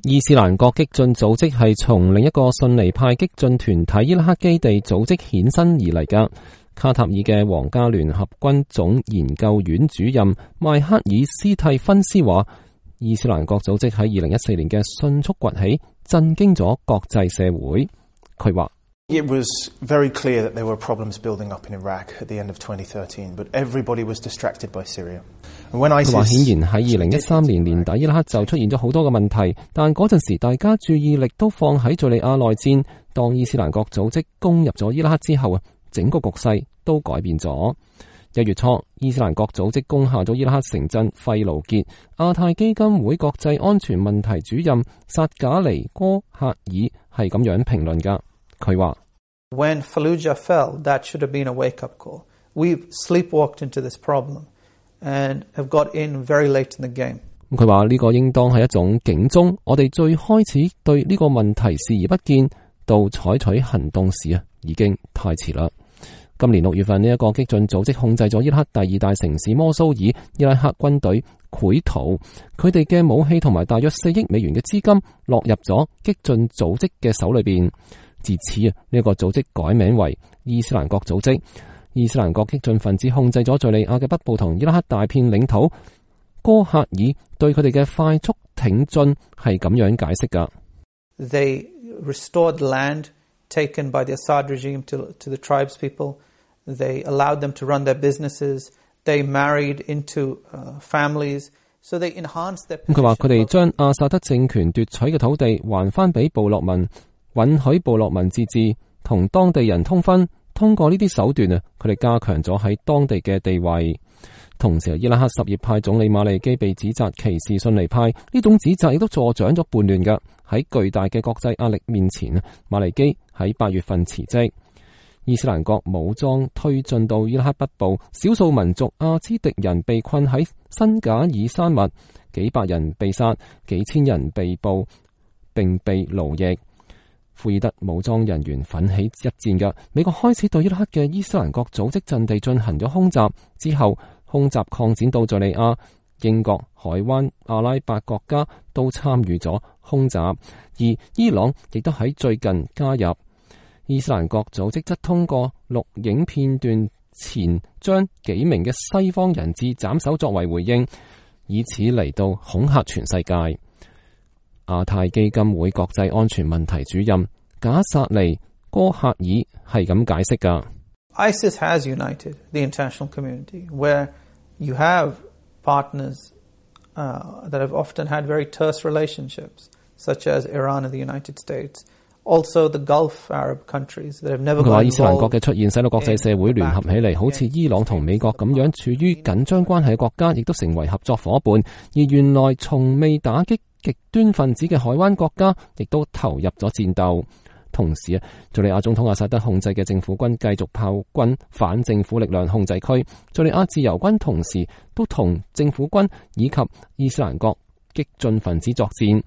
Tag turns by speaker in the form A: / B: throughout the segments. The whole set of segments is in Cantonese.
A: 伊斯蘭國激進組織係從另一個遜尼派激進團體伊拉克基地組織衍生而嚟㗎。卡塔爾嘅皇家聯合軍總研究院主任邁克爾斯蒂芬斯話，伊斯蘭國組織喺2014年嘅迅速崛起，震驚咗國際社會。佢話
B: ：It was very clear that there were problems building up in Iraq at the end of 2013, but everybody was distracted by Syria. 佢
A: 話顯然喺2013年年底伊拉克就出現咗好多嘅問題，但嗰陣時大家注意力都放喺敘利亞內戰。當伊斯蘭國組織攻入咗伊拉克之後啊，整個局勢都改變咗。1月初，伊斯蘭國組織攻下咗伊拉克城鎮費盧傑。亞太基金會國際安全問題主任薩賈尼哥赫爾係咁樣評論㗎。佢話
C: ：When Fallujah fell, that should have been a wake-up call. We've sleepwalked into this problem and have got in very late in the game.
A: 佢話呢個應當係一種警鐘，我哋最開始對呢個問題視而不見，到採取行動時啊，已經太遲啦。今年6月份，呢一個激進組織控制咗伊拉克第2大城市摩蘇爾，伊拉克軍隊潰逃，佢哋嘅武器同埋大約4億美元嘅資金落入咗激進組織嘅手裏邊。自此啊，呢一個組織改名為伊斯蘭國組織。伊斯蘭國激進分子控制咗敘利亞嘅北部同伊拉克大片領土。哥赫爾對佢哋嘅快速挺進係咁樣解釋㗎。
C: They restored land taken by the Assad regime to the tribes people. They allowed them to run their businesses. They married into families. So they enhanced their.
A: 佢話佢哋將阿薩德政權奪取嘅土地還翻俾部落民，允許部落民自治，同當地人通婚。通過呢啲手段啊，佢哋加強咗喺當地嘅地位。同時，伊拉克什葉派總理馬利基被指責歧視遜尼派，呢種指責亦都助長咗叛亂㗎。喺巨大嘅國際壓力面前，馬利基喺8月份辭職。伊斯蘭國武裝推進到伊拉克北部，少數民族阿茲迪人被困喺辛賈爾山脈，幾百人被殺，幾千人被捕並被奴役。庫爾德武裝人員奮起一戰㗎。美國開始對伊拉克嘅伊斯蘭國組織陣地進行咗空襲，之後空襲擴展到敘利亞。英國、海灣、阿拉伯國家都參與咗空襲，而伊朗亦都喺最近加入。伊斯蘭國組織則通過錄影片段前將幾名嘅西方人質斬首作為回應，以此嚟到恐嚇全世界。亞太基金會國際安全問題主任賈薩尼哥赫爾係咁解釋㗎。
C: ISIS has united the international community, where you have partners that have often had very terse relationships, such as Iran and the United States. Also, the Gulf Arab countries that have never.
A: 佢話伊斯蘭國嘅出現使到國際社會聯合起嚟，好似伊朗同美國咁樣處於緊張關係嘅國家，亦都成為合作伙伴。而原來從未打擊極端分子嘅海灣國家，亦都投入咗戰鬥。同時啊，敘利亞總統阿薩德控制嘅政府軍繼續炮轟反政府力量控制區。敘利亞自由軍同時都同政府軍以及伊斯蘭國激進分子作戰。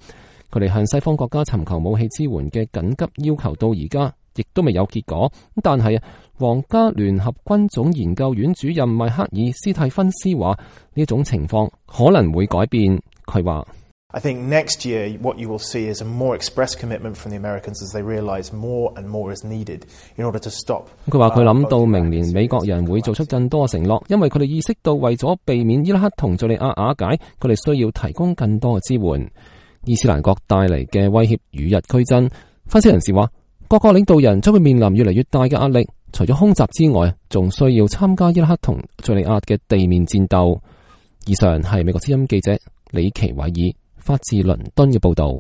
A: 佢哋向西方國家尋求武器支援嘅緊急要求到而家亦都未有結果。但係皇家聯合軍總研究院主任邁克爾斯蒂芬斯話呢種情況可能會改變。佢話
B: I think next year what you will see is a more express commitment from the Americans as they realize more and more is needed in order to stop.
A: 佢話佢諗到明年美國人會做出更多承諾，因為佢哋意識到為咗避免伊拉克同敘利亞瓦解，佢哋需要提供更多嘅支援。伊斯蘭國帶嚟嘅威脅與日俱增，分析人士話各國領導人將會面臨越嚟越大嘅壓力，除咗空襲之外，仲需要參加伊拉克同敘利亞嘅地面戰鬥。以上係美國之音記者李奇偉爾發自倫敦嘅報道。